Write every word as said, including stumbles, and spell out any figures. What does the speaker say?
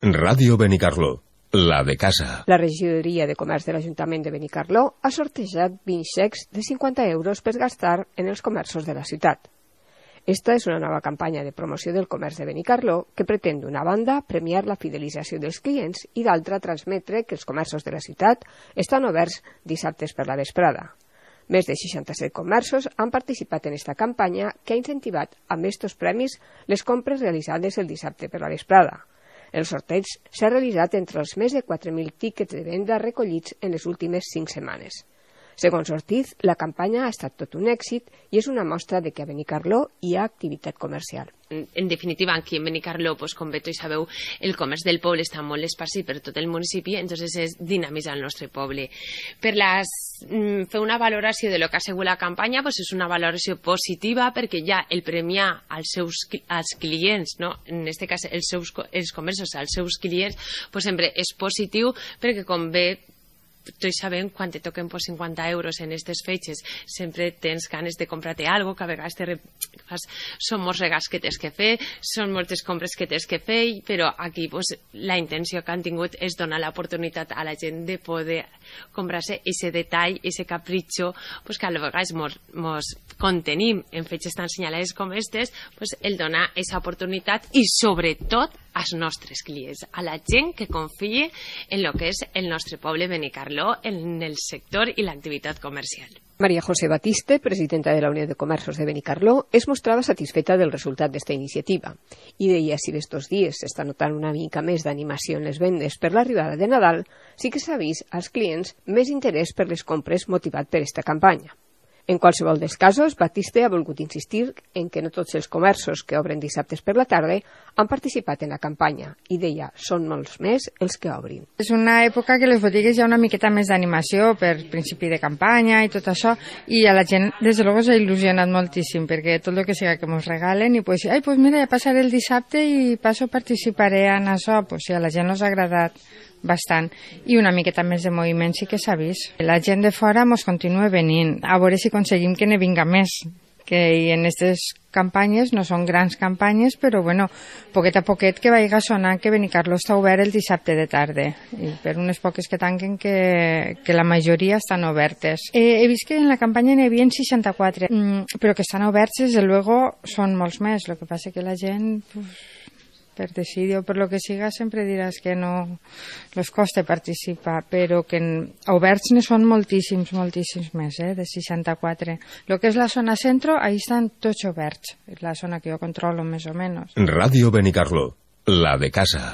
Ràdio Benicarló, la de casa. La regidoria de comerç de l'Ajuntament de Benicarló ha sortejat vint xecs de cinquanta euros per gastar en els comerços de la ciutat. Esta és una nova campanya de promoció del comerç de Benicarló que pretén, d'una banda, premiar la fidelització dels clients i, d'altra, transmetre que els comerços de la ciutat estan oberts dissabtes per la vesprada. Més de seixanta-set comerços han participat en esta campanya que ha incentivat amb estos premis les compres realitzades el dissabte per la vesprada. El sorteig s'ha realitzat entre els més de quatre mil tíquets de venda recollits en les últimes cinc setmanes. Segons Ortiz, la campanya ha estat tot un èxit i és una mostra de que a Benicarló hi ha activitat comercial. En definitiva, aquí en Benicarló, pues, com bé tots sabeu, el comerç del poble està molt esparcit per tot el municipi, entonces és dinamitzar el nostre poble. Per les, mm, fer una valoració de lo que ha sigut la campanya, pues, és una valoració positiva perquè ja el premiar als seus als clients, no? En aquest cas els seus els comerços als seus clients, pues, sempre és positiu perquè, com bé tots sabem, quan te toquen pues, cinquanta euros en aquestes fetges, sempre tens ganes de comprar-te alguna cosa, que a vegades te re... són molts regals que tens que fer, són moltes compres que tens que fer, però aquí pues, la intenció que han tingut és donar l'oportunitat a la gent de poder comprar-se aquest detall, aquest capritxo, pues, que a vegades mos, mos contenim en fetges tan senyalades com aquestes, pues, el donar aquesta oportunitat i sobretot als nostres clients, a la gent que confia en el que és el nostre poble Benicarló, en el sector i l'activitat comercial. María José Batiste, presidenta de la Unió de Comerços de Benicarló, es mostrava satisfeta del resultat d'esta iniciativa i deia si d'estos dies s'està notant una mica més d'animació en les vendes per l'arribada de Nadal, sí que s'ha vist als clients més interès per les compres motivat per esta campanya. En qualsevol dels casos, Batiste ha volgut insistir en que no tots els comerços que obren dissabtes per la tarda han participat en la campanya i deia, són molts més els que obrin. És una època que les botigues hi ha una miqueta més d'animació per principi de campanya i tot això, i a la gent, des de luego, s'ha il·lusionat moltíssim perquè tot el que siga que ens regalen i pues, ai, pues mira, ja passaré el dissabte i passo participaré en això, pues sí, a la gent els ha agradat bastant, i una miqueta més de moviment sí que s'ha vist. La gent de fora mos continua venint, a veure si aconseguim que ne vinga més, que en aquestes campanyes no són grans campanyes, però bueno, poquet a poquet que vagi sonant que Benicarló està obert el dissabte de tarda, i per unes poques que tanquen que, que la majoria estan obertes. Eh, he vist que en la campanya n'hi havia seixanta-quatre, mm, però que estan oberts, des de luego, són molts més, el que passa que la gent... Pues, per decidir o per lo que siga, sempre diràs que no els costa participar, però que oberts ne són moltíssims, moltíssims més, eh, de seixanta-quatre. El que és la zona centro, ahí estan tots oberts, la zona que jo controlo més o menys. Ràdio Benicarló, la de casa.